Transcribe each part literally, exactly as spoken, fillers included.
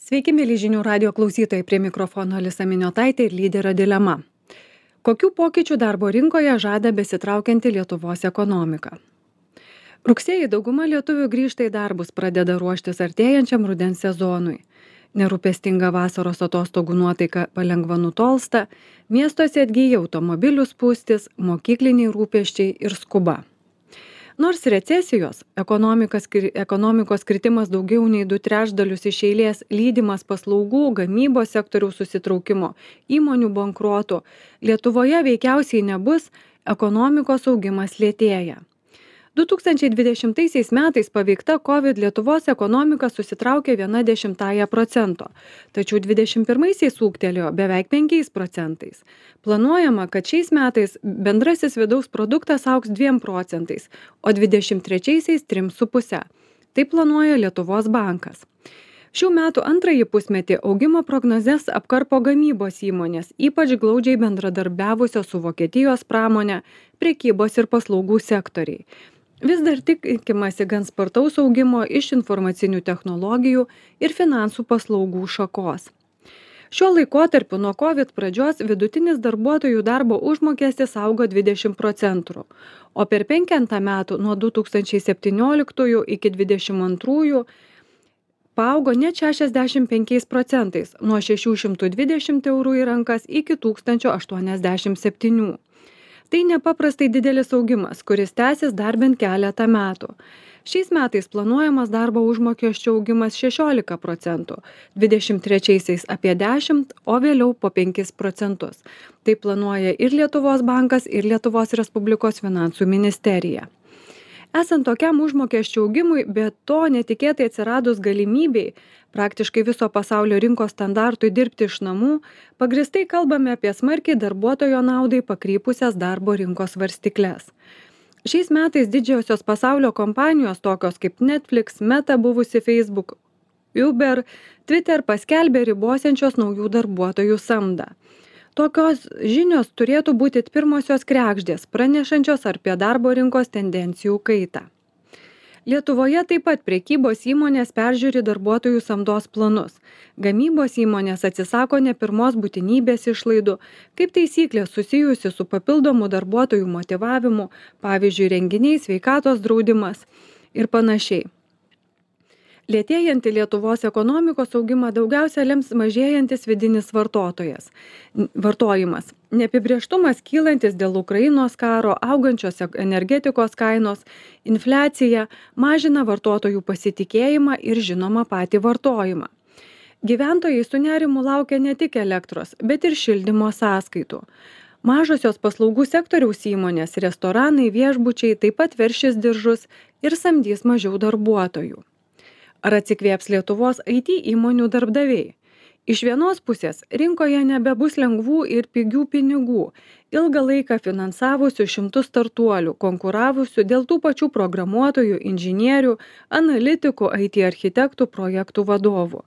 Sveiki, mėly žinių radio klausytojai, prie mikrofono Alisa Miniotaitė ir lyderio dilema. Kokių pokyčių darbo rinkoje žada besitraukianti Lietuvos ekonomika? Rugsėjį dauguma lietuvių grįžta į darbus, pradeda ruoštis artėjančiam rudens sezonui. Nerūpestinga vasaros atostogų nuotaika palengva nutolsta, miestuose atgyja automobilių spūstis, mokykliniai rūpesčiai ir skuba. Nors recesijos, ekonomikos, ekonomikos kritimas daugiau nei du trečdalius iš eilės, lydimas paslaugų, gamybos sektoriaus susitraukimo, įmonių bankruotų, Lietuvoje veikiausiai nebus, ekonomikos augimas lėtėja. du tūkstančiai dvidešimtaisiais metais paveikta COVID Lietuvos ekonomika susitraukė viena dešimtąja procento, tačiau dvidešimt pirmaisiais ūgtelėjo beveik penkiais procentais. Planuojama, kad šiais metais bendrasis vidaus produktas augs dviem procentais, o dvidešimt trečiaisiais trim su puse. Tai planuoja Lietuvos bankas. Šių metų antrąjį pusmetį augimo prognozes apkarpo gamybos įmonės, ypač glaudžiai bendradarbiavusios su Vokietijos pramonė, prekybos ir paslaugų sektoriai. Vis dar tikimasi gan spartaus augimo iš informacinių technologijų ir finansų paslaugų šakos. Šiuo laikotarpiu nuo COVID pradžios vidutinis darbuotojų darbo užmokestis augo dvidešimt procentų, o per penketą metų nuo du tūkstančiai septynioliktųjų iki dvidešimt antrųjų paaugo net šešiasdešimt penkiais procentais, nuo šešių šimtų dvidešimt eurų į rankas iki tūkstančio aštuoniasdešimt septynių. Tai nepaprastai didelis augimas, kuris tęsis dar bent keletą metų. Šiais metais planuojamas darbo užmokesčio augimas šešiolika procentų, dvidešimt trečiaisiais apie dešimt, o vėliau po penkis procentus. Tai planuoja ir Lietuvos bankas, ir Lietuvos Respublikos finansų ministerija. Esant tokiam užmokesčio augimui, bet to netikėtai atsiradus galimybei praktiškai viso pasaulio rinkos standartui dirbti iš namų, pagristai kalbame apie smarkiai darbuotojo naudai pakrypusias darbo rinkos svarstykles. Šiais metais didžiosios pasaulio kompanijos, tokios kaip Netflix, Meta buvusi Facebook, Uber, Twitter paskelbė ribosiančios naujų darbuotojų samdą. Tokios žinios turėtų būti pirmosios kregždės, pranešančios apie darbo rinkos tendencijų kaitą. Lietuvoje taip pat prekybos įmonės peržiūri darbuotojų samdos planus. Gamybos įmonės atsisako ne pirmos būtinybės išlaidų, kaip taisyklė susijusi su papildomu darbuotojų motyvavimu, pavyzdžiui, renginiai, sveikatos draudimas ir panašiai. Lėtėjantį Lietuvos ekonomikos augimą daugiausia lems mažėjantis vidinis vartotojas. Vartojimas. Neapibrėžtumas kylantis dėl Ukrainos karo, augančios energetikos kainos, infliacija mažina vartotojų pasitikėjimą ir žinoma patį vartojimą. Gyventojai su nerimu laukia ne tik elektros, bet ir šildymo sąskaitų. Mažosios paslaugų sektoriaus įmonės, restoranai, viešbučiai taip pat veršis diržus ir samdys mažiau darbuotojų. Ar atsikvėps Lietuvos I T įmonių darbdaviai? Iš vienos pusės rinkoje nebebus lengvų ir pigių pinigų, ilgą laiką finansavusių šimtus startuolių, konkuravusių dėl tų pačių programuotojų, inžinierių, analitikų, I T architektų, projektų vadovų.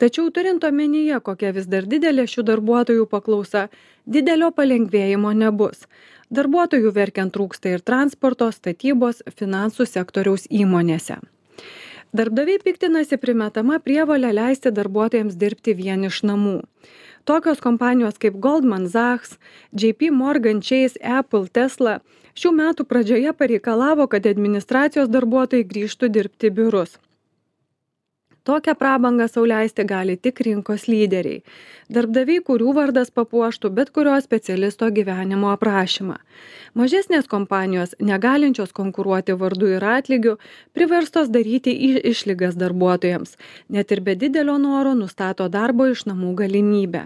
Tačiau turint omenyje, kokia vis dar didelė šių darbuotojų paklausa, didelio palengvėjimo nebus. Darbuotojų verkiant trūksta ir transporto, statybos, finansų sektoriaus įmonėse. Darbdaviai piktinasi primetama prievolė leisti darbuotojams dirbti vien iš namų. Tokios kompanijos kaip Goldman Sachs, J P Morgan Chase, Apple, Tesla šių metų pradžioje pareikalavo, kad administracijos darbuotojai grįžtų dirbti į biurus. Tokią prabangą sau leisti gali tik rinkos lyderiai. Darbdaviai, kurių vardas papuoštų bet kurio specialisto gyvenimo aprašymą. Mažesnės kompanijos, negalinčios konkuruoti vardu ir atlygiu, priverstos daryti išlygas darbuotojams, net ir be didelio noro nustato darbo iš namų galimybę.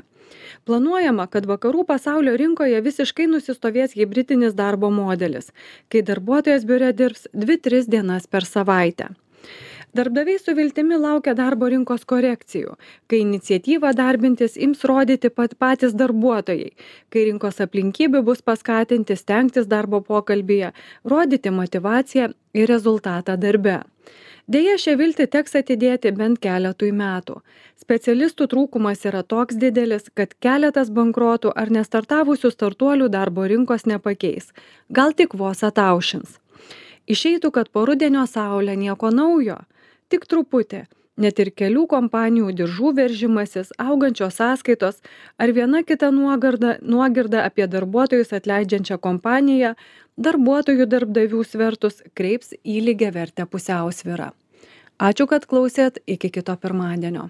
Planuojama, kad vakarų pasaulio rinkoje visiškai nusistovės hibridinis darbo modelis, kai darbuotojas biure dirbs dvi tris dienas per savaitę. Darbdaviai su viltimi laukia darbo rinkos korekcijų, kai iniciatyvą darbintis ims rodyti pat patys darbuotojai, kai rinkos aplinkybių bus paskatinti stengtis darbo pokalbyje, rodyti motyvaciją ir rezultatą darbe. Deja, šią viltį teks atidėti bent keletui metų. Specialistų trūkumas yra toks didelis, kad keletas bankrotų ar nestartavusių startuolių darbo rinkos nepakeis, gal tik vos ataušins. Išeitų, kad po rudenio saulė nieko naujo. Tik truputį, Net ir kelių kompanijų diržų veržimasis, augančios sąskaitos ar viena kita nuogarda, nuogirda apie darbuotojus atleidžiančią kompaniją darbuotojų darbdavių svertus kreips į lygiavertę pusiausvyrą. Ačiū, kad klausėt, iki kito pirmadienio.